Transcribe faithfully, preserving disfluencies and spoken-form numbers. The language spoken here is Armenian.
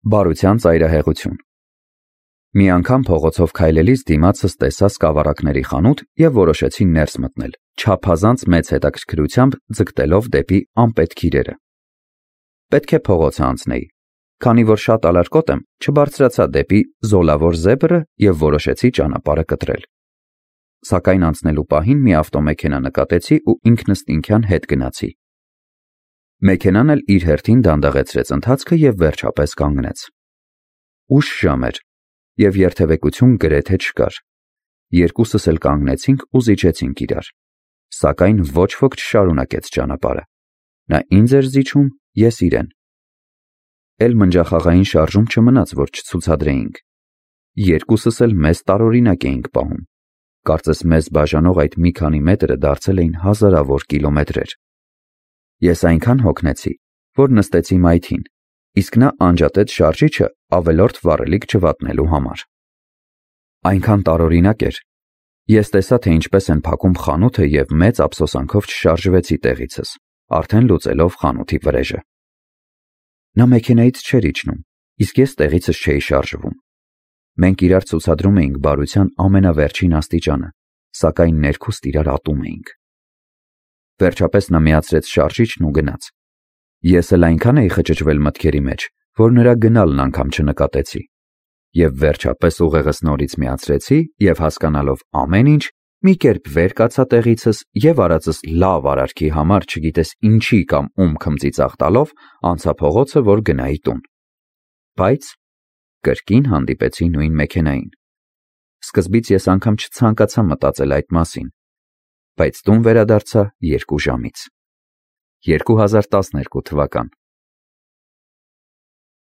Բարության ծայրահեղություն։ Մի անգամ փողոցով քայլելիս դիմացս տեսա սկավառակների խանութ և որոշեցի ներս մտնել, չափազանց մեծ հետաքրքրությամբ ձգտելով դեպի անպետք իրերը։ Պետք է փողոցը անցնեի, քանի որ շատ ալարկոտ եմ, չբարձրացա դեպի զոլավոր զեբրը և որոշեցի ճանապարհը կտրել։ Սակայն անցնելու պահին մի ավտոմեքենա նկատեցի ու ինքնըստինքյան հետ գնացի։ Մեքենան էլ իր հերթին դանդաղեցրեց ընթացքը և վերջապես կանգնեց։ Ուշ ժամ էր, և երթևեկություն գրեթե չկար։ Երկուսս էլ կանգնեցինք ու զիջեցինք իրար, սակայն ոչ ոք չշարունակեց ճանապարհը։ Նա ինձ էր զիջում, ես իրեն։ Էլ մնջախաղային շարժում չմնաց, որ չցուցադրեինք։ Երկուսս էլ մեզ տարօրինակ էինք պահում։ Կարծես մեզ բաժանող այդ մի քանի մետրը դարձել էին հազարավոր կիլոմետրեր։ Ես այնքան հոգնեցի, որ նստեցի մայթին, իսկ նա անջատեց շարժիչը ավելորդ վառելիք չվատնելու համար։ Այնքան տարօրինակ էր։ Ես տեսա, թե ինչպես են փակում խանութը և մեծ ափսոսանքով չշարժվեցի տեղիցս, արդեն լուծելով խանութի վրեժը։ Նա մեքենայից չէր իջնում, իսկ ես տեղիցս չէի շարժվում։ Մենք իրար ցուցադրում էինք բարության ամենավերջին աստիճանը, սակայն ներքուստ իրար ատում էինք։ Վերջապես նա միացրեց շարժիչն ու գնաց։ Ես էլ այնքան էի խճճվել մտքերի մեջ, որ նրա գնալն անգամ չնկատեցի։ Եվ վերջապես ուղեղս նորից միացրեցի և հասկանալով ամեն ինչ, մի կերպ վեր կացա տեղիցս և արածս լավ արարքի համար չգիտես ինչի կամ ում քմծիծաղ տալով անցա փողոցը, որ գնայի տուն։ Բայց կրկին հանդիպեցի նույն մեքենային։ Սկզբից ես անգամ չցանկացա մտածել այդ մասին, բայց տուն վերադարձա երկու ժամից։ երկու հազար տասներկու թվական։